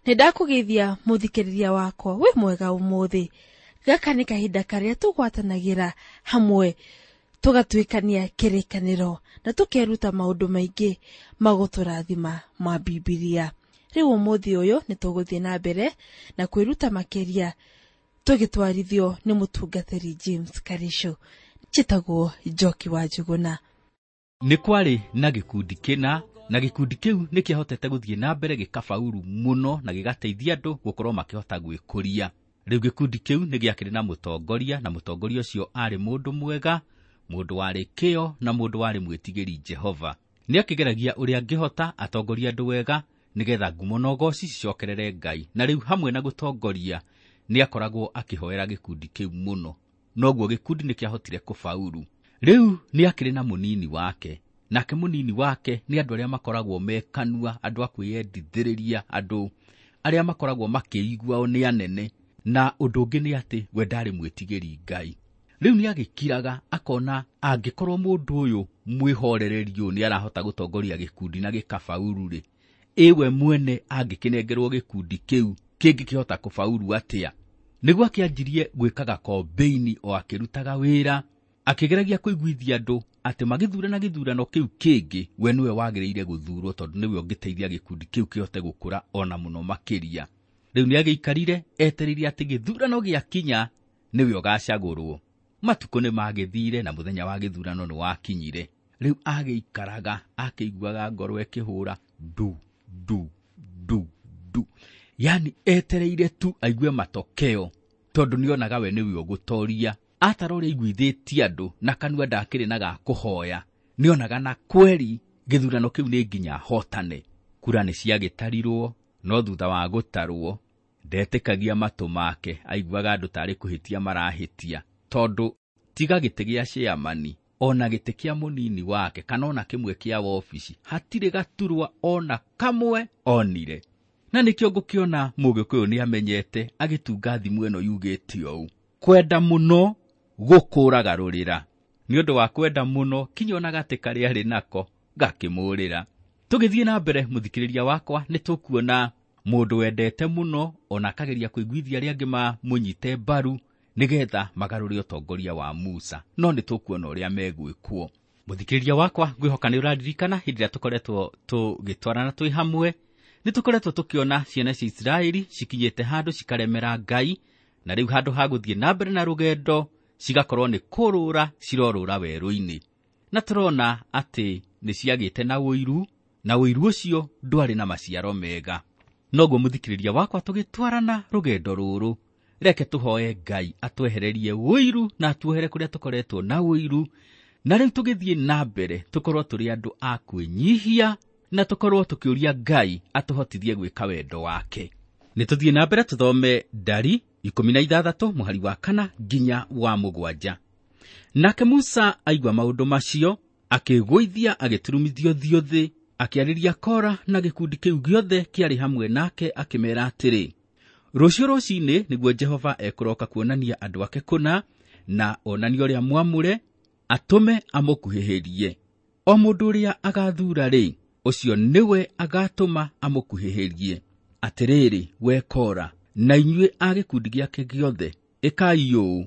Nĩ ndakũgeithia mũthikĩrĩria wakwa, wĩ mwega ũmũthĩ. Gaka nĩ kahinda karĩa tũgwatanagĩra hamwe tũgatuĩkania kĩrĩkanĩro na tũkeruta maũndũ maingĩ ma gũtũrathima ma Bibilia. Rĩu ũmũthĩ ũyũ nĩ tũgũthiĩ na mbere na kwĩruta makĩria tũgĩtwarithio nĩ mũtungatĩri James Karisho. Njĩtagwo Njoki wa Njuguna. Nĩ kwarĩ na gĩkundi kĩna, na gĩkundi kĩu nĩ kĩahotete gũthiĩ na mbere gĩkabauru mũno na gĩgateithia andũ gũkorwo makĩhota gwĩkũria. Rĩu gĩkundi kĩu nĩ gĩakĩrĩ na mũtongoria, na mũtongoria ũcio arĩ mũndũ mwega, mũndũ warĩ kĩyo na mũndũ warĩ mwĩtigĩri Jehova. Nĩ akĩgeragia ũrĩa angĩhota atongorie andũ wega nĩgetha ngumo na ũgoci cicokerere Ngai. Na rĩu hamwe na gũtongoria nĩ akoragwo akĩhoera gĩkundi kĩu mũno. Noguo gĩkundi nĩ kĩahotire kũbauru. Rĩu nĩ akĩrĩ na mũnini wake, nake mũnini wake nĩ andũ arĩa makoragwo me kanua, andũ a kwĩyendithĩrĩria, andũ arĩa makoragwo makĩigua o nĩ anene. Na ũndũ ũngĩ nĩ atĩ we ndarĩ mwĩtigĩri Ngai. Rĩu nĩ agĩkiraga akona angĩkorwo mũndũ ũyũ mwĩhorereri ũyũ nĩ arahota gũtongoria gĩkundi na gĩkabauru rĩ, ĩwe mwene angĩkĩnengerwo gĩkundi kĩu kĩngĩkĩhota kũbauru atĩa? Nĩguo akĩanjirie gwĩkaga kombĩini o akĩrutaga wĩra, akĩgeragia kũiguithia andũ atĩ magĩthurana gĩthurano kĩu kĩngĩ we nĩwe wagĩrĩire gũthurwo tondũ nĩwe ũngĩteithia gĩkundi kĩu kĩhote gũkũra ona mũno makĩria. Rĩu nĩ agĩikarire etereire atĩ gĩthurano gĩakinya nĩwe ũgacagũrwo. Matukũ nĩ magĩthire na mũthenya wa gĩthurano nĩ wakinyire. Rĩu agĩikaraga akĩiguaga ngoro ĩkĩhũra ndu ndu ndu ndu, yani etereire tu aigue matokeo tondũ nĩonaga we nĩwe ũgũtoria. Atara ũrĩa aiguithĩtie andũ na kanua ndakĩrĩ na ga kũhoya, nĩonaga na kweri gĩthurano kĩu nĩ nginya ahotane. Kura nĩ ciagĩtarirwo, no thutha wa gũtarwo ndetĩkagia matũ make, aiguaga andũ tarĩ kũhĩtia marahĩtia, tondũ tiga gĩtĩ gĩa chairman ona gĩtĩ kĩa mũnini wake kana ona kĩmwe kĩa wabici hatirĩ gaturwa ona kamwe onire. Na nĩkĩo ngũkĩona Mũgĩkũyũ nĩ amenyete agĩtunga thimũ ĩno yugĩte ũũ, kwenda mũno gũkũraga rũrĩra. Nĩ ũndũ wa kwenda mũno kinya ona gatĩ karĩa arĩ nako gakĩmũrĩra. Tũgĩthiĩ na mbere mũthikĩrĩria wakwa, nĩ tũkuona mũndũ wendete mũno ona akageria kũiguithia arĩa angĩ mamũnyite mbaru nĩgetha magarũre ũtongoria wa Musa, no nĩ tũkuona ũrĩa megwĩkwo. Mũthikĩrĩria wakwa, ngwĩhoka nĩ ũraririkana hĩndĩ ĩrĩa tũkoretwo tũgĩtwarana twĩ hamwe, nĩ tũkoretwo tũkĩona ciana cia Isiraeli cikinyĩte handũ cikaremera Ngai, na rĩu handũ ha gũthiĩ na mbere na rũgendo cigakorwo nĩ kũrũra cirorũra werũ-inĩ. Na tũrona atĩ nĩ ciagĩte na ũiru, na ũiru ũcio ndwarĩ na maciaro mega. Noguo mũthikĩrĩria wakwa, tũgĩtwarana rũgendo rũrũ, reke tũhoe Ngai atwehererie ũiru na atuohere kũrĩa tũkoretwo na ũiru, na rĩu tũgĩthiĩ na mbere tũkorwo tũrĩ andũ a kwĩnyihia na tũkorwo tũkĩũria Ngai atũhotithie gwĩka wendo wake. Nĩ tũthiĩ na mbere tũthome Ndari 16 mũhari wa 4 nginya wa 7. Nake Musa aigua maũndũ macio, akĩgũithia agĩturumithio ũthiũ thĩ, akĩarĩria Kora na gĩkundi kĩu gĩothe kĩarĩ hamwe nake, akĩmeera atĩrĩ, rũciũ rũcinĩ nĩguo Jehova ekũroka kuonania andũ ake kũna, na onanie ũrĩa mwamũre, atũme amũkuhĩhĩrie. O mũndũ ũrĩa agathuura rĩ, ũcio nĩwe agatũma amũkuhĩhĩrie. Atĩrĩrĩ, we Kora, na inyuĩ a gĩkundi gĩake gĩothe, ĩkai ũũ,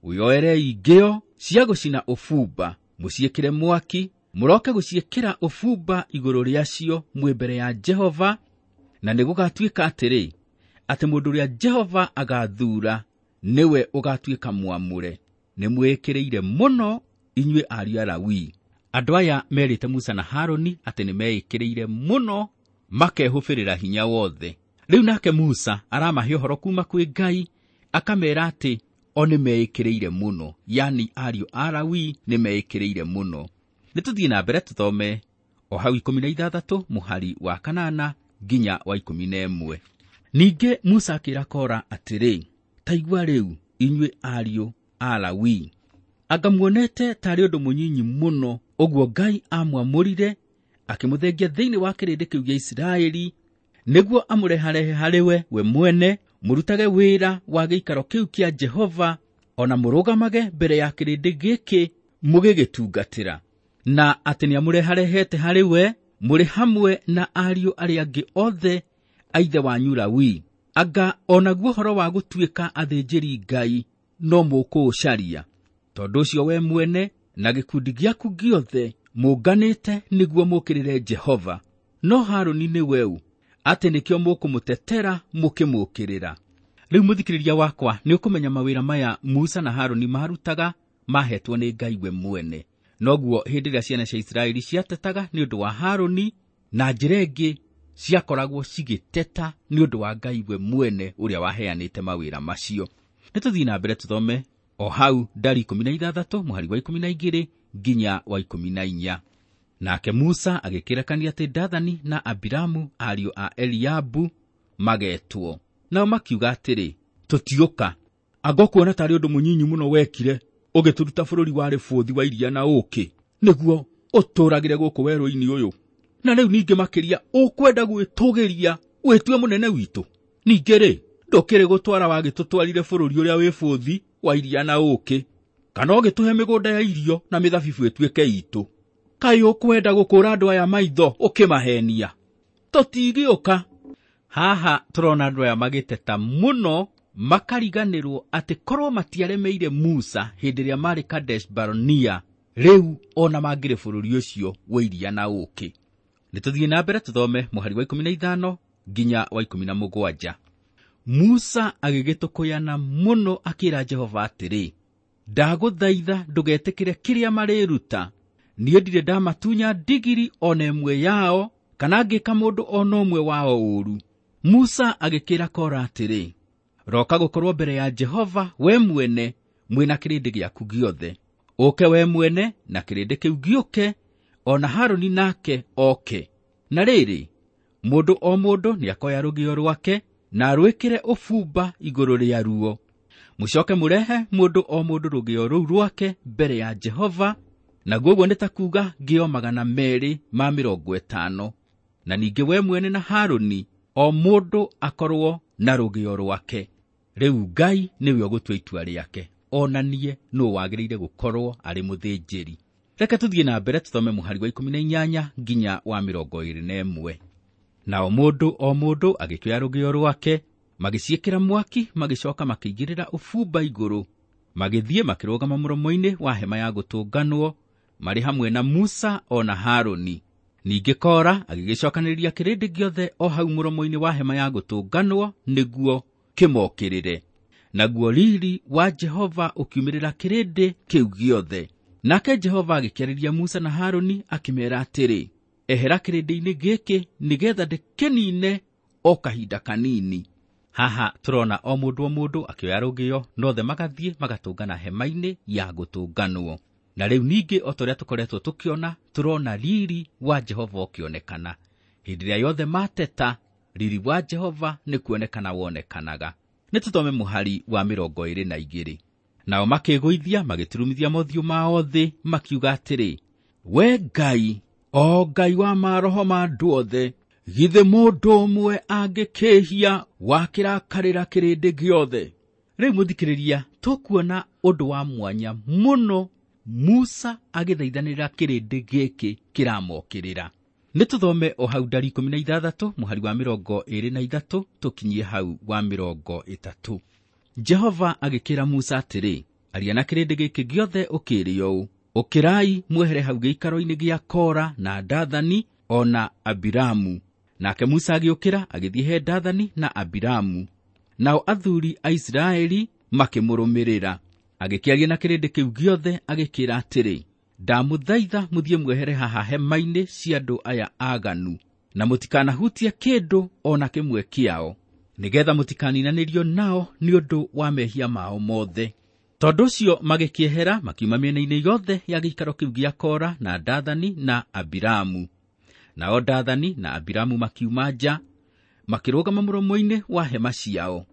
wĩoerei ngĩo cia gũcina ũbumba, mũciĩkĩre mwaki, mũroke gũciĩkĩra ũbumba igũrũ rĩacio mwĩ mbere ya Jehova, na nĩgũgatuĩka atĩrĩ, atĩ mũndũ ũrĩa Jehova agathuura nĩwe ũgatuĩka mwamũre. Nĩmwĩkĩrĩire mũno inyuĩ ariũ a Lawi. Andũ aya merĩte Musa na Harũni atĩ nĩmeĩkĩrĩire mũno makehũbĩrĩra hinya wothe. Rĩu nake Musa aramahe ũhoro kuma kwĩ Ngai, akamera atĩ o nĩmeĩkĩrĩire mũno, yani ariũ a Lawi nĩmeĩkĩrĩire mũno. Nĩ tũthiĩ na mbere tũthome o hau 16 mũhari wa 8 nginya wa 11. Ningĩ Musa akĩra Kora atĩrĩ, ta igua rĩu inyuĩ ariũ a Lawi, anga muonete tarĩ ũndũ mũnyinyi mũno ũguo Ngai amwamũrire akĩmũthengia thĩinĩ wa kĩrĩndĩ kĩu gĩa Isiraeli, nĩguo amũreharehe harĩ we mwene, mũrutage wĩra wa gĩikaro kĩu kĩa Jehova, ona mũrũgamage mbere ya kĩrĩndĩ gĩkĩ mũgĩgĩtungatĩra, na atĩ nĩamũreharehete harĩ we mũrĩ hamwe na ariũ arĩa angĩ othe a ithe wanyu Lawi? Anga onaguo ũhoro wa gũtuĩka athĩnjĩri Ngai no mũkũũcaria? Tondũ ũcio we mwene na gĩkundi gĩaku gĩothe mũnganĩte nĩguo mũũkĩrĩre Jehova. No Harũni nĩwe ũ, atĩ nĩkĩo mũkũmũtetera mũkĩmũũkĩrĩra? Rĩu mũthikĩrĩria wakwa, nĩ ũkũmenya mawĩra maya Musa na Harũni marutaga mahetwo nĩ Ngai we mwene. Noguo hĩndĩ ĩrĩa ciana cia Isiraeli ciatetaga nĩ ũndũ wa Harũni, na njĩra ĩngĩ ciakoragwo cigĩteta nĩ ũndũ wa Ngai we mwene ũrĩa waheanĩte mawĩra macio. Nĩ tũthiĩ na mbere tũthome o hau ndari 16 mũhari wa 12 nginya wa 14. Nake Musa agĩkĩrekania atĩ Dathani na Abiramu ariũ a Eliabu magetwo. Nao makiuga atĩrĩ, tũtiũka. Anga ũkuona tarĩ ũndũ mũnyinyi mũno wekire ũgĩtũruta bũrũri warĩ bũthi wa iria na ũũkĩ, nĩguo ũtũũragĩre gũkũ werũ-inĩ ũyũ? Na rĩu ningĩ makĩria ũkwenda gwĩtũgĩria wĩtue mũnene witũ? Ningĩ rĩ, ndũkĩrĩ gũtwara wagĩtũtwarire bũrũri ũrĩa wĩ bũthi wa iria na ũũkĩ, kana ũgĩtũhe mĩgũnda ya irio na mĩthabibũ ĩtuĩke itũ? Kaĩ ũkwenda gũkũũra andũ aya maitho ũkĩmahenia? Tũtigĩũka. Haha tũrona andũ aya magĩteta mũno, makariganĩrwo atĩ korwo matiaremeire Musa hĩndĩ ĩrĩa marĩ Kadesh Barnea, rĩu ona mangĩrĩ bũrũri ũcio wa iria na ũũkĩ. Nĩ tũthiĩ na mbere tũthome mũhari wa 15 nginya wa 17. Musa agĩgĩtũkũyana mũno akĩra Jehova atĩrĩ, ndagũthaitha ndũgetĩkĩre kĩrĩa marĩruta. Niĩ ndirĩ ndamatunya ndigiri ona ĩmwe yao, kana ngĩka mũndũ ona ũmwe wao ũũru. Musa agĩkĩra Kora atĩrĩ, roka gũkorwo mbere ya Jehova we mwene mwĩna kĩrĩndĩ gĩaku gĩothe. Ũke we mwene na kĩrĩndĩ kĩu gĩũke, ona Harũni nake oke. Na rĩrĩ, mũndũ o mũndũ nĩakoya rũgĩo rwake na arwĩkĩre ũbumba igũrũ rĩa ruo. Mũcoke mũrehe mũndũ o mũndũ rũgĩo rũu rwake mbere ya Jehova, naguo ũguo nĩ ta kuuga ngĩo 250. Na ningĩ we mwene na Harũni o mũndũ akorwo na rũgĩo rwake. Rĩu Ngai nĩwe ũgũtua itua rĩake, onanie nũũ wagĩrĩire gũkorwo arĩ mũthĩnjĩri. Reke tũthiĩ na mbere tũthome mũhari wa 18 nginya wa 21. Nao mũndũ o mũndũ agĩkĩoya rũgĩo rwake, magĩciĩkĩra mwaki, magĩcoka makĩigĩrĩra ũbumba igũrũ, magĩthiĩ makĩrũgama mũromo-inĩ wa hema ya gũtũnganwo marĩ hamwe na Musa o na Harũni. Ningĩ Kora agĩgĩcokanĩrĩria kĩrĩndĩ gĩothe o hau mũromo-inĩ wa hema ya gũtũnganwo nĩguo kĩmokĩrĩre. Naguo riri wa Jehova ũkiumĩrĩra kĩrĩndĩ kĩu gĩothe. Nake Jehova agĩkĩarĩria Musa na Harũni akĩmeera atĩrĩ, ehera kĩrĩndĩ-inĩ gĩkĩ nĩgetha ndĩkĩnine o kahinda kanini. Haha tũrona o mũndũ o mũndũ akĩoya rũgĩo, nothe magathiĩ magatũngana hema-inĩ ya gũtũnganwo. Na rĩu ningĩ o ta ũrĩa tũkoretwo tũkĩona, tũrona riri wa Jehova ũkĩonekana. Hĩndĩ ĩrĩa yothe mateta, riri wa Jehova nĩ kuonekana wonekanaga. Nĩ tũthome mũhari wa 22. Nao makĩgũithia magĩturumithia mothiũ mao thĩ, makiuga atĩrĩ, we Ngai, o Ngai wa maroho ma andũ othe, githĩ mũndũ ũmwe angĩkĩhia wakĩrakarĩra kĩrĩndĩ gĩothe? Rĩu mũthikĩrĩria, tũkuona ũndũ wa mwanya mũno Musa agĩthaithanĩrĩra kĩrĩndĩ gĩkĩ kĩramokĩrĩra. Nĩ tũthome o hau ndari 16 mũhari wa 23 tũkinyie hau wa 30. Jehova agĩkĩra Musa atĩrĩ, aria na kĩrĩndĩ gĩkĩ gĩothe ũkĩĩre ũũ, ũkĩrai mwehere hau gĩikaro-inĩ gĩa Kora na Dathani o na Abiramu. Nake Musa agĩũkĩra agĩthiĩ he Dathani na Abiramu. Nao athuri a Isiraeli makĩmũrũmĩrĩra. Agĩkĩaria na kĩrĩndĩ kĩu gĩothe agĩkĩra atĩrĩ, ndamũthaitha mũthiĩ mwehere haha hema-inĩ cia andũ aya aganu, na mũtikanahutie kĩndũ o na kĩmwe kĩao, nĩgetha mũtikaninanĩrio nao nĩ ũndũ wa mehia mao mothe. Tondũ ũcio magĩkĩehera makiuma mĩena-inĩ yothe ya gĩikaro kĩu gĩa Kora na Dathani na Abiramu. Nao Dathani na Abiramu makiuma nja, makĩrũgama mũromo-inĩ wa hema ciao,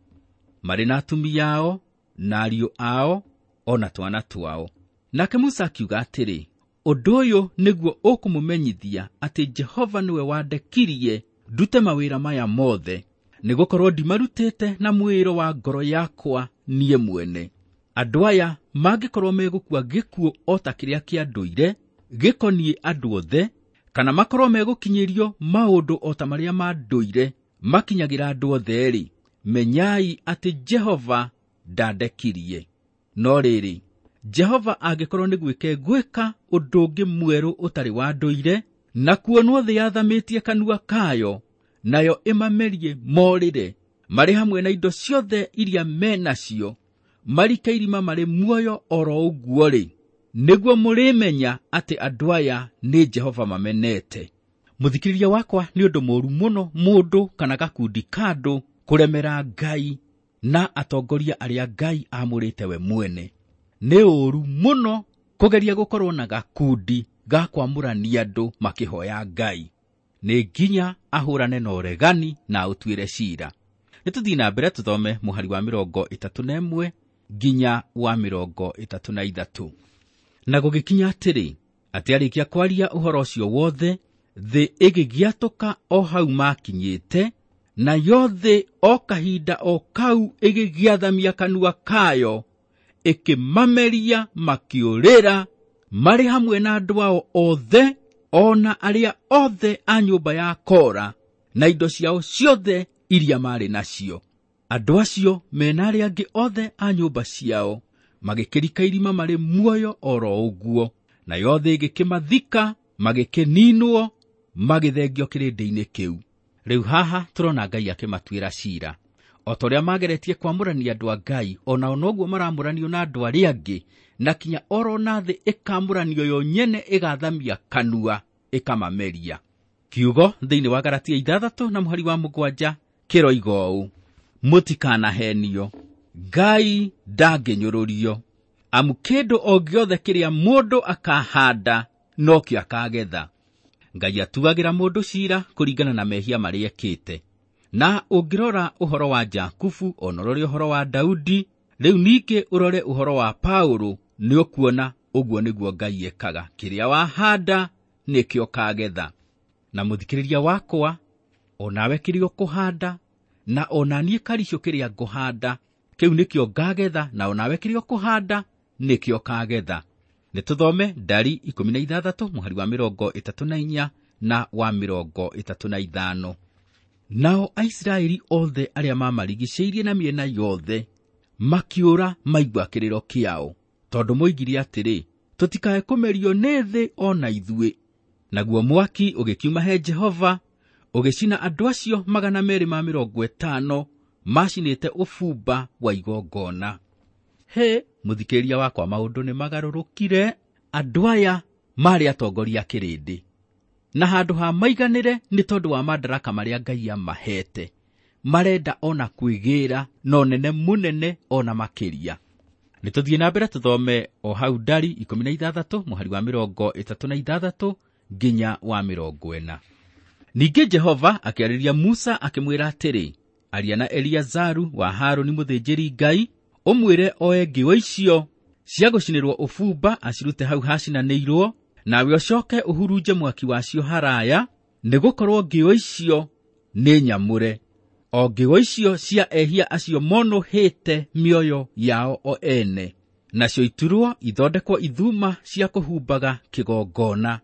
marĩ na atumia ao na ariũ ao o na twana twao. Nake Musa akiuga atĩrĩ, ũndũ ũyũ nĩguo ũkũmũmenyithia atĩ Jehova nĩwe wandekirie ndute mawĩra maya mothe, nĩgũkorwo ndimarutĩte na mwĩĩro wa ngoro yakwa niĩ mwene. Andũ aya mangĩkorwo megũkua gĩkuũ o ta kĩrĩa kĩa ndũire, gĩkoniĩ andũ othe, kana makorwo megũkinyĩrio maũndũ o ta marĩa ma ndũire, makinyagĩra andũ othe-rĩ, menyai atĩ Jehova ndandekirie. No rĩrĩ, Jehova angĩkorwo nĩ gwĩka egwĩka ũndũ ũngĩ mwerũ ũtarĩ wa ndũire, na kuonwo thĩ yathamĩtie kanua kayo, nayo ĩmamerie morĩre, marĩ hamwe na indo ciothe iria menacio, marike irima marĩ muoyo oro ũguo-rĩ, nĩguo mũrĩmenya atĩ andũ aya nĩ Jehova mamenete. Mũthikĩrĩria wakwa, nĩ ũndũ mũũru mũno mũndũ kana gakundi ka andũ kũremera Ngai na atongoria arĩa Ngai aamũrĩte we mwene. Nĩ ũũru mũno kũgeria gũkorwo na gakundi ga kwamũrania andũ makĩhoya Ngai. Nĩ nginya ahũrane na ũregani na ũtuĩre ciira. Nĩ tũthiĩ na mbere tũthome mũhari wa 31 nginya wa 33. Na gũgĩkinya atĩrĩ, atĩ arĩkia kwaria ũhoro ũcio wothe, thĩ ĩgĩgĩatũka o hau makinyĩte, nayo thĩ o kahinda o kau ĩgĩgĩathamia kanua kayo, ĩkĩmameria makĩũrĩra, marĩ hamwe na andũ ao othe, o na arĩa othe a nyũmba ya Kora, na indo ciao ciothe iria marĩ nacio. Andũ acio mena arĩa angĩ othe a nyũmba ciao magĩkĩrika irima marĩ muoyo oro ũguo, nayo thĩ ĩgĩkĩmathika, magĩkĩninwo, magĩthengio kĩrĩndĩ-inĩ kĩu. Rĩu haha tũrona Ngai akĩmatuĩra ciira. O ta ũrĩa mageretie kwamũrania andũ a Ngai, onao noguo maramũranio na andũ arĩa angĩ, na kinya oro na thĩ ĩkamũranio yo nyene ĩgathamia kanua ĩkamameria. Kiugo thĩinĩ wa Galatia 6 na mũhari wa 7 kĩroiga ũũ: mũtikanahenio, Ngai ndangĩnyũrũrio, amu kĩndũ o gĩothe kĩrĩa mũndũ akahanda nokĩo akagetha. Ngai atuagĩra mũndũ ciira kũringana na mehia marĩa ekĩte. Na ũngĩrora ũhoro wa Jakubu, ona ũrore ũhoro wa Daudi, rĩu ningĩ ũrore ũhoro wa Paũlũ, nĩ ũkuona ũguo nĩguo Ngai ekaga. Kĩrĩa wahanda nĩkĩo ũkagetha. Na mũthikĩrĩria wakwa, onawe kĩrĩa ũkũhanda, na ona niĩ Karicũ kĩrĩa ngũhanda, kĩu nĩkĩo ngagetha, na onawe kĩrĩa ũkũhanda nĩkĩo ũkagetha. Nĩ tũthome Ndari 16 mũhari wa 34 na wa 35. Nao Aisiraeli othe arĩa mamarigicĩirie na mĩena yothe makĩũra maigua kĩrĩro kĩao, tondũ moigire atĩrĩ, tũtikae kũmerio nĩ thĩ o na ithuĩ. Naguo mwaki ũgĩkiuma he Jehova ũgĩcina andũ acio 250 macinĩte ũbumba wa igongona. He mũthikĩrĩria wakwa, maũndũ nĩ magarũrũkire. Andũ aya marĩ atongoria kĩrĩndĩ, na handũ ha maiganĩre nĩ tondũ wa madaraka marĩa Ngai amahete, marenda ona kwĩgĩra na ũnene mũnene ona makĩria. Nĩ tũthiĩ na mbere tũthome o hau Ndari 16 mũhari wa 36 nginya wa 40. Ningĩ Jehova akĩarĩria Musa akĩmwĩra atĩrĩ, aria na Eliazaru wa Harũni mũthĩnjĩri Ngai, ũmwĩre oe ngĩo icio cia gũcinĩrwo ũbumba acirute hau hacinanĩirwo, nawe ũcoke ũhurunje mwaki wacio haraya, nĩgũkorwo ngĩo icio nĩ nyamũre. O ngĩo icio cia ehia acio monũhĩte mĩoyo yao o ene, nacio iturwo ithondekwo ithuma cia kũhumbaga kĩgongona,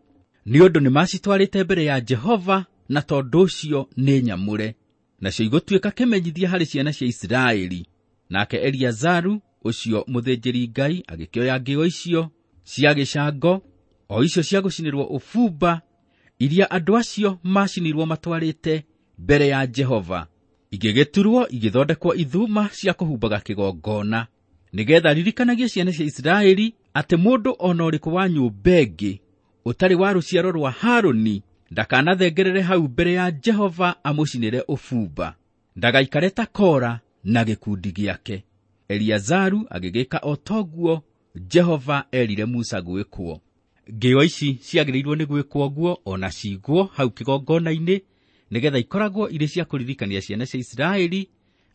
nĩ ũndũ nĩmacitwarĩte mbere ya Jehova, na tondũ ũcio nĩ nyamũre. Nacio igũtuĩka kĩmenyithia harĩ ciana cia Isiraeli. Nake Eliazaru ũcio mũthĩnjĩri Ngai agĩkĩoya ngĩo icio cia gĩcango, o icio cia gũcinĩrwo ũbumba, iria andũ acio macinirwo matwarĩte mbere ya Jehova, igĩgĩturwo igĩthondekwo ithuma cia kũhumbaga kĩgongona, nĩgeetha ririkanagie ciana cia Isiraeli atĩ mũndũ ona ũrĩkũ wa nyũmba ĩngĩ ũtarĩ wa rũciaro rwa Harũni ndakanathengerere hau mbere ya Jehova amũcinĩre ũbumba, ndagaikare ta Kora na gĩkundi gĩake. Eliazaru agĩgĩka o toguo Jehova erire Musa gwĩkwo. Ngĩo ici ciagĩrĩirwo nĩ gwĩkwo ũguo ona cigwo hau kĩgongona-inĩ, nĩgeetha ikoragwo irĩ cia kũririkania ciana cia Isiraeli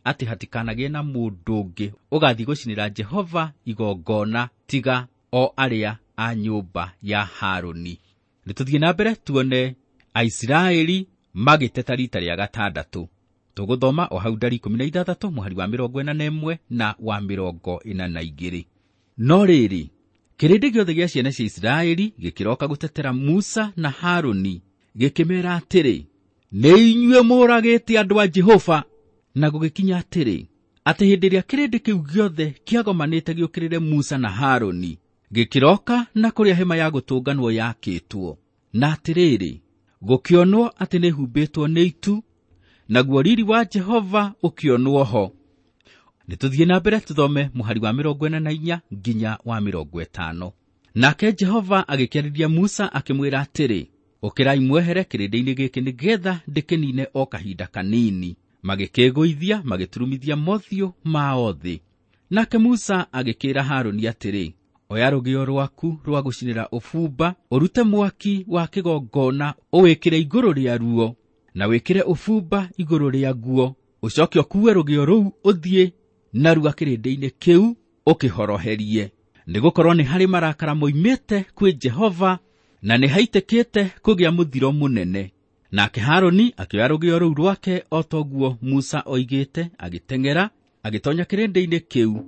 atĩ hatikanagĩe na mũndũ ũngĩ ũgathiĩ gũcinĩra Jehova igongona tiga o arĩa a nyũmba ya Harũni. Nĩ tũthiĩ na mbere tuone Aisiraeli magĩteta rita rĩa gatandatũ. Tũgũthoma o hau Ndari 16 mũhari wa 41 na wa 42. No rĩrĩ, kĩrĩndĩ gĩothe gĩa ciana cia Isiraeli gĩkĩroka gũtetera Musa na Harũni, gĩkĩmeera atĩrĩ, Nĩ inyuĩ mũũragĩte andũ a Jehova. Na gũgĩkinya atĩrĩ, atĩ hĩndĩ ĩrĩa kĩrĩndĩ kĩu gĩothe kĩagomanĩte gĩũkĩrĩre Musa na Harũni, gĩkĩroka na kũrĩa hema ya gũtũnganwo yakĩtwo. Na atĩrĩrĩ, gũkĩonwo atĩ nĩhumbĩtwo nĩ itu, naguo riri wa Jehova ũkĩonwo ho. Nĩ tũthiĩ na mbere tũthome mũhari wa 44 nginya wa 50. Nake Jehova agĩkĩarĩria Musa akĩmwĩra atĩrĩ, ũkĩrai mwehere kĩrĩndĩ-inĩ gĩkĩ nĩgeetha ndĩkĩnine o kahinda kanini. Magĩkĩgũithia magĩturumithia mothiũ mao thĩ. Nake Musa agĩkĩĩra Harũni atĩrĩ, oya rũgĩo rwaku rwa gũcinĩra ũbumba, ũrute mwaki wa kĩgongona ũwĩkĩre igũrũ rĩa ruo, na wĩkĩre ũbumba igũrũ rĩa guo, ũcoke ũkuue rũgĩo rũu ũthiĩ narua kĩrĩndĩ-inĩ kĩu ũkĩhoroherie. Nĩgũkorwo nĩ harĩ marakara moimĩte kwĩ Jehova, na nĩ haitĩkĩte kũgĩa mũthiro mũnene. Nake Harũni akĩoya rũgĩo rũu rwake o toguo Musa oigĩte, agĩteng'era agĩtonya kĩrĩndĩ-inĩ kĩu,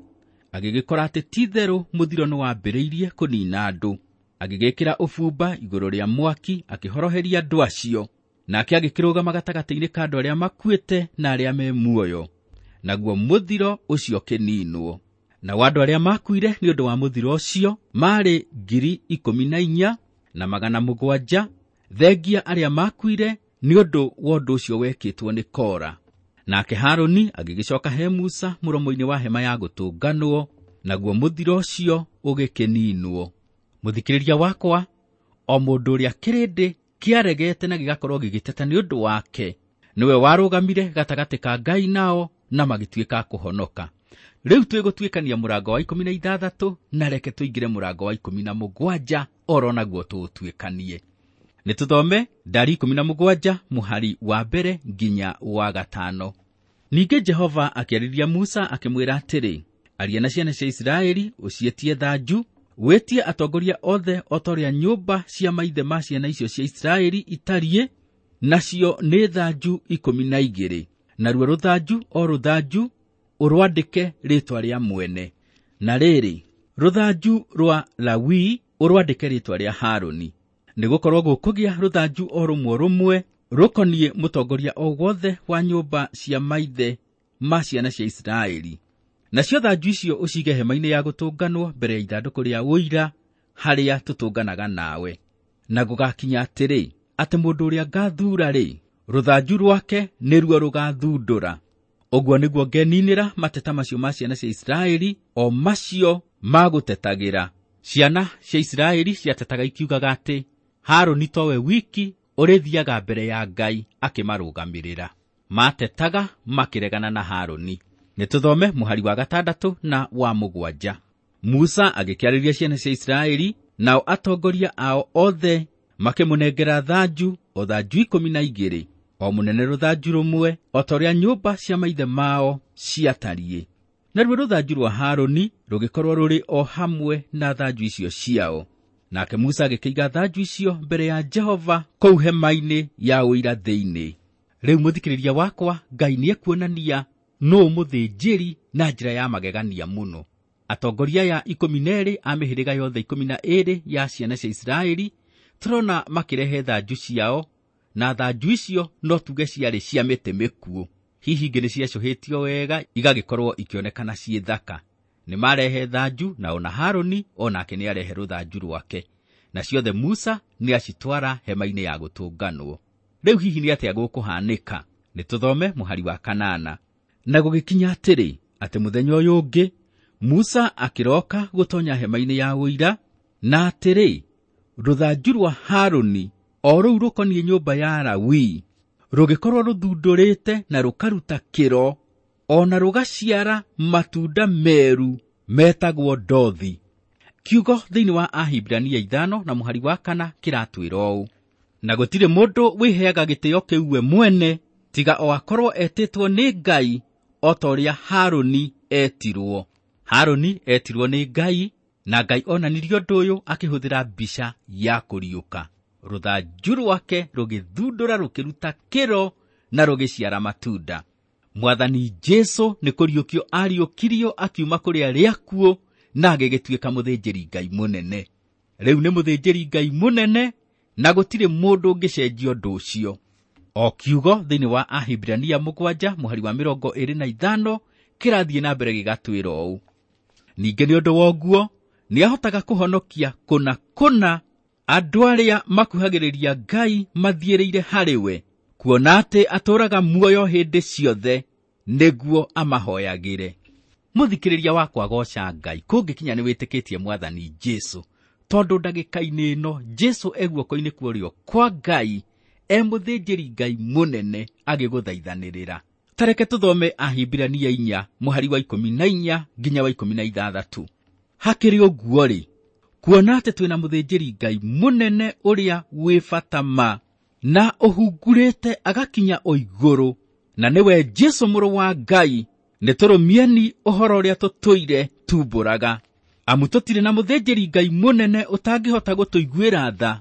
agĩgĩkora atĩ ti-itherũ mũthiro nĩwambĩrĩirie kũniina andũ. Agĩgĩkĩra ũbumba igũrũ rĩa mwaki akĩhoroheria andũ acio. Nake agĩkĩrũgama gatagatĩ-inĩ ka andũ arĩa makuĩte na arĩa me muoyo, naguo mũthiro ũcio ũkĩninwo. Nao andũ arĩa makuire nĩ ũndũ wa mũthiro ũcio maarĩ 14,700, thengia arĩa makuire nĩ ũndũ wa ũndũ ũcio wekĩtwo nĩ Kora. Nake Harũni agĩgĩcoka he Musa mũromo-inĩ wa hema ya gũtũnganwo, naguo mũthiro ũcio ũgĩkĩninwo. Mũthikĩrĩria wakwa, o mũndũ ũrĩa kĩrĩndĩ kĩaregete na gĩgakorwo gĩgĩteta nĩ ũndũ wake, nĩwe warũgamire gatagatĩ ka Ngai nao na magĩtuĩka kũhonoka. Rĩu twĩgũtuĩkania mũrango wa 16 na reke tũingĩre mũrango wa 17 oro naguo tũũtuĩkanie. Nĩ tũthome ndari 17 mũhari wa 1 nginya wa 5. Ningĩ Jehova akĩarĩria Musa akĩmwĩra atĩrĩ, aria na ciana cia Isiraeli ũciĩtie thanju, wĩtie atongoria othe o ta ũrĩa nyũmba cia maithe ma ciana icio cia Isiraeli itariĩ, nacio nĩ thanju 12. Naruo rũthanju o rũthanju ũrwandĩke rĩĩtwa rĩa mwene. Na rĩrĩ, rũthanju rwa Lawi ũrwandĩke rĩĩtwa rĩa Harũni. Nĩgũkorwo gũkũgĩa rũthanju o rũmwe rũmwe rũkoniĩ mũtongoria o wothe wa nyũmba cia maithe ma ciana cia Isiraeli. Nacio thanju icio ũcige hema-inĩ ya gũtũnganwo mbere ya ithandũkũ rĩa ũira harĩa tũtũnganaga nawe. Na gũgakinya atĩrĩ, atĩ mũndũ ũrĩa ngathuura-rĩ, rũthanju rwake nĩruo rũgathundũra. Ũguo nĩguo ngeninĩra mateta macio ma ciana cia Isiraeli, o macio magũtetagĩra. Ciana cia Isiraeli ciatetaga ikiugaga atĩ Harũni towe wiki ũrĩthiaga mbere ya Ngai akĩmarũgamĩrĩra. Matetaga makĩregana na Harũni. Nĩ tũthome mũhari wa 6 na wa 7. Musa agĩkĩarĩria ciana cia Isiraeli, nao atongoria ao othe makĩmũnengera thanju, o thanju 12, o mũnene rũthanju rũmwe, o ta ũrĩa nyũmba cia maithe mao ciatariĩ. Naruo rũthanju rwa Harũni rũgĩkorwo rũrĩ o hamwe na thanju icio ciao. Nake Musa agĩkĩiga thanju icio mbere ya Jehova kũu hema-inĩ ya ũira thĩinĩ. Rĩu mũthikĩrĩria wakwa, Ngai nĩekuonania nũũ mũthĩnjĩri na njĩra ya magegania mũno. Atongoria aya 12 a mĩhĩrĩga yothe 12 ya ciana cia Isiraeli tũrona makĩrehe thanju ciao, na thanju icio no tuge ciarĩ cia mĩtĩ mĩkuũ. Hihi ingĩ nĩciacũhĩtio wega igagĩkorwo ikĩonekana ciĩ thaka. Nĩ marehe thanju, na ona Harũni onake nĩarehe rũthanju rwake. Na ciothe Musa nĩacitwara hema-inĩ ya gũtũnganwo. Rĩu hihi nĩ atĩa gũkũhanĩka? Nĩ tũthome mũhari wa 8. Na gũgĩkinya atĩrĩ, atĩ mũthenya ũyũ ũngĩ Musa akĩroka gũtonya hema-inĩ ya ũira, na atĩrĩ, rũthanju rwa Harũni o rũu rũkoniĩ nyũmba ya Lawi rũgĩkorwo rũthundũrĩte na rũkaruta kĩro, o na rũgaciara matunda meru metagwo ndothi. Kiugo thĩinĩ wa Ahibirania 5 na mũhari wa 4 kĩratwĩra ũũ: na gũtirĩ mũndũ wĩheaga gĩtĩo kĩu we mwene, tiga o akorwo etĩtwo nĩ Ngai o ta ũrĩa Harũni etirwo. Harũni etirwo nĩ Ngai, na Ngai onanirie ũndũ ũyũ akĩhũthĩra mbica ya kũriũka. Rũthanju rwake rũgĩthundũra rũkĩruta kĩro na rũgĩciara matunda. Mwathani Jesũ nĩ kũriũkio ariũkirio akiuma kũrĩ arĩa akuũ na agĩgĩtuĩka mũthĩnjĩri Ngai mũnene. Rĩu nĩ mũthĩnjĩri Ngai mũnene na gũtirĩ mũndũ ũngĩcenjia ũndũ ũcio. O kiugo thĩinĩ wa Ahibirania 7 mũhari wa 25 kĩrathiĩ na mbere gĩgatwĩra ũũ: ningĩ nĩ ũndũ wa ũguo nĩahotaga kũhonokia kũna kũna andũ arĩa makuhagĩrĩria Ngai mathiĩrĩire harĩ we, kuona atĩ atũũraga muoyo hĩndĩ ciothe nĩguo amahoyagĩre. Mũthikĩrĩria wakwa, goca Ngai kũngĩkinya nĩ wĩtĩkĩtie Mwathani Jesũ, tondũ ndagĩka-inĩ ĩno Jesũ e guoko-inĩ kwa ũrĩo kwa Ngai, e mũthĩnjĩri Ngai mũnene agĩgũthaithanĩrĩra. Tareke tũthome Ahibirania 4 mũhari wa 14 nginya wa 16. Hakĩrĩ ũguo-rĩ, kuona atĩ twĩna mũthĩnjĩri Ngai mũnene ũrĩa wĩ bata ma na ũhungurĩte agakinya o igũrũ, na nĩwe Jesũ mũrũ wa Ngai, nĩtũrũmieni ũhoro ũrĩa tũtũire tumbũraga. Amu tũtirĩ na mũthĩnjĩri Ngai mũnene ũtangĩhota gũtũiguĩra tha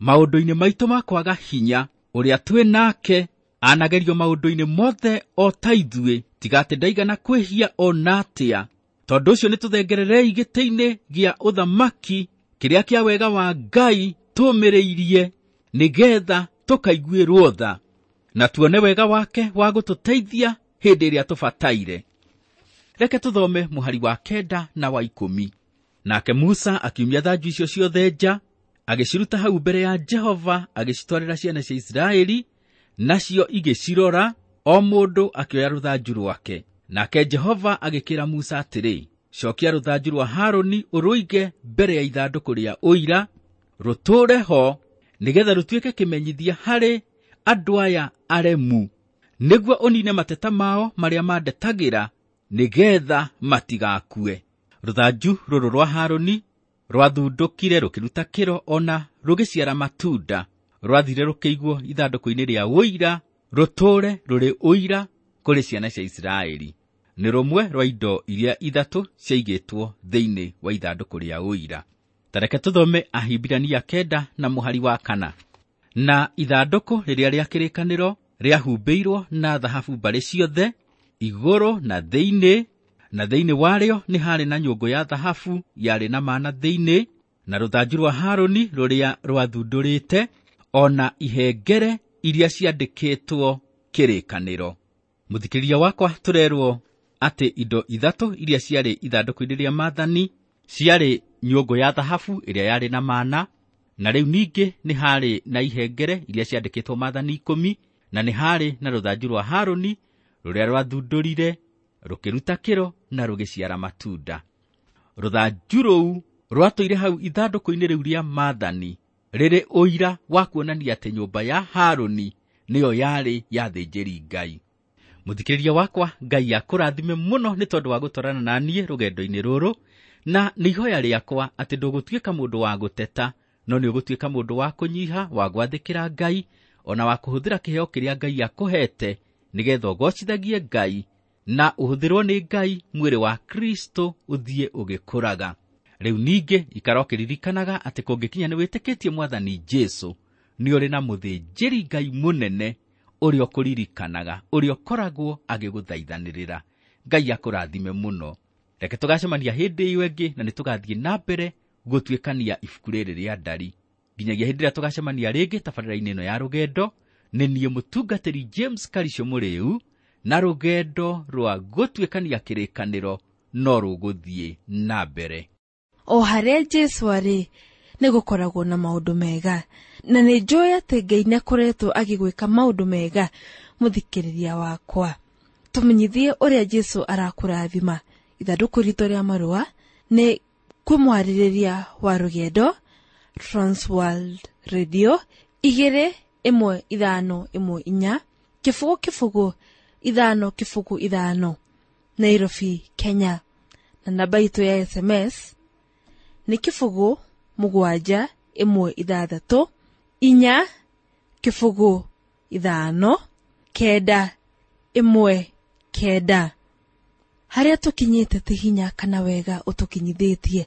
maũndũ-inĩ maitũ ma kwaga hinya, ũrĩa twĩ nake anagerio maũndũ-inĩ mothe o ta ithuĩ, tiga atĩ ndaigana kwĩhia o na atĩa. Tondũ ũcio nĩtũthengererei gĩtĩ-inĩ gĩa ũthamaki kĩrĩa kĩa wega wa Ngai tũũmĩrĩirie, nĩgetha tũkaiguĩrwo tha na tuone wega wake wa gũtũteithia hĩndĩ ĩrĩa tũbataire. Reke tũthome mũhari wa 9 na wa 10. Nake Musa akiumia thanju icio ciothe nja, agĩciruta hau mbere ya Jehova, agĩcitwarĩra ciana cia Isiraeli, nacio igĩcirora, o mũndũ akĩoya rũthanju rwake. Nake Jehova agĩkĩra Musa atĩrĩ, cokia rũthanju rwa Harũni ũrũige mbere ya ithandũkũ rĩa ũira, rũtũũre ho, nĩgetha rũtuĩke kĩmenyithia harĩ andũ aya aremu, nĩguo ũnine mateta mao marĩa mandetagĩra, nĩgetha matigakue. Rũthanju rũrũ rwa Harũni rwathundũkire rũkĩruta kĩro ona rũgĩciara matunda, rwathire rũkĩigwo ithandũkũ-inĩ rĩa ũira, rũtũũre rũrĩ ũira kũrĩ ciana cia Isiraeli. Nĩ rũmwe rwa indo iria ithatũ ciaigĩtwo thĩinĩ wa ithandũkũ rĩa ũira. Tareke tũthome Ahibirania 9 na mũhari wa 4. Na ithandũkũ rĩrĩa rĩa kĩrĩkanĩro rĩahumbĩirwo na thahabu mbarĩ ciothe, igũrũ na thĩinĩ, na thĩinĩ warĩo nĩ harĩ na nyũngũ ya thahabu yarĩ na mana thĩinĩ, na rũthanju rwa Harũni rũrĩa rwathundũrĩte, ona ihengere iria ciandĩkĩtwo kĩrĩkanĩro. Mũthikĩrĩria wakwa, tũrerwo atĩ indo ithatũ iria ciarĩ ithandũkũ-inĩ rĩa maathani ciarĩ nyũngũ ya thahabu ĩrĩa yarĩ na mana, na rĩu ningĩ nĩ harĩ na ihengere iria ciandĩkĩtwo maathani 10, na nĩ harĩ na rũthanju rwa Harũni rũrĩa rwathundũrire rũkĩruta kĩro na rũgĩciara matunda. Rũthanju rũu rwatũire hau ithandũkũ-inĩ rĩu rĩa maathani rĩrĩ ũira wa kuonania atĩ nyũmba ya Harũni nĩyo yarĩ ya thĩnjĩri Ngai. Mũthikĩrĩria wakwa, Ngai akũrathime mũno nĩ tondũ wa gũtwarana na niĩ rũgendo-inĩ rũrũ, na nĩ ihoya rĩakwa atĩ ndũgũtuĩka mũndũ wa gũteta, no nĩ ũgũtuĩka mũndũ wa kũnyiha, wa gwathĩkĩra Ngai, ona wa kũhũthĩra kĩheo kĩrĩa Ngai akũhete, nĩgetha ũgocithagie Ngai na ũhũthĩrwo nĩ Ngai mwĩrĩ wa Kristo ũthiĩ ũgĩkũraga. Rĩu ningĩ ikara ũkĩririkanaga atĩ kũngĩkinya nĩ wĩtĩkĩtie Mwathani Jesũ, nĩ ũrĩ na mũthĩnjĩri Ngai mũnene ũrĩa ũkũririkanaga, ũrĩa ũkoragwo agĩgũthaithanĩrĩra. Ngai akũrathime mũno. Reke tũgacemania hĩndĩ ĩyo ĩngĩ, na nĩtũgathiĩ na mbere gũtuĩkania ibuku rĩrĩ rĩa ndari. Nginyagia hĩndĩ ĩrĩa tũgacemania rĩngĩ tabarĩra-inĩ ĩno ya rũgendo, nĩ niĩ mũtungatĩri James Karisho Mũrĩu, na rũgendo rwa gũtuĩkania kĩrĩkanĩro no rũgũthiĩ na mbere. O harĩa Jesũ arĩ, nĩ gũkoragwo na maũndũ mega, na nĩ njũĩ atĩ Ngai nĩakoretwo agĩgwĩka maũndũ mega. Mũthikĩrĩria wakwa, tũmenyithie ũrĩa Jesũ arakũrathima. Ithandũkũ ritũ rĩa marũa nĩ kwĩ mwarĩrĩria wa rũgendo, Transworld Radio 21514 0 0 5 0 5, Nairobi, Kenya. Na namba itũ ya SMS nĩ 0 7 1 6 4 0 5 9 1 9. Harĩa tũkinyĩte ti hinya kana wega ũtũkinyithĩtie,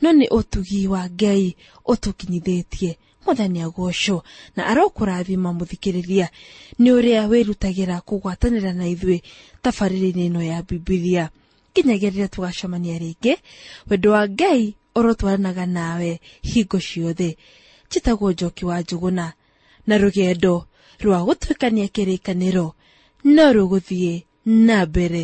no nĩ ũtugi wa Ngai ũtũkinyithĩtie. Mwathani agocwo na arokũrathima mũthikĩrĩria nĩ ũrĩa wĩrutagĩra kũgwatanĩra na ithuĩ tabarĩra-inĩ ĩno ya Bibilia. Nginyagia rĩrĩa tũgacemania rĩngĩ, wendo wa Ngai ũrotwaranaga nawe hingo ciothe. Njĩtagwo Njoki wa Njũgũna, na rũgendo Rwa gũtuĩkania kĩrĩkanĩro no rũgũthiĩ na mbere.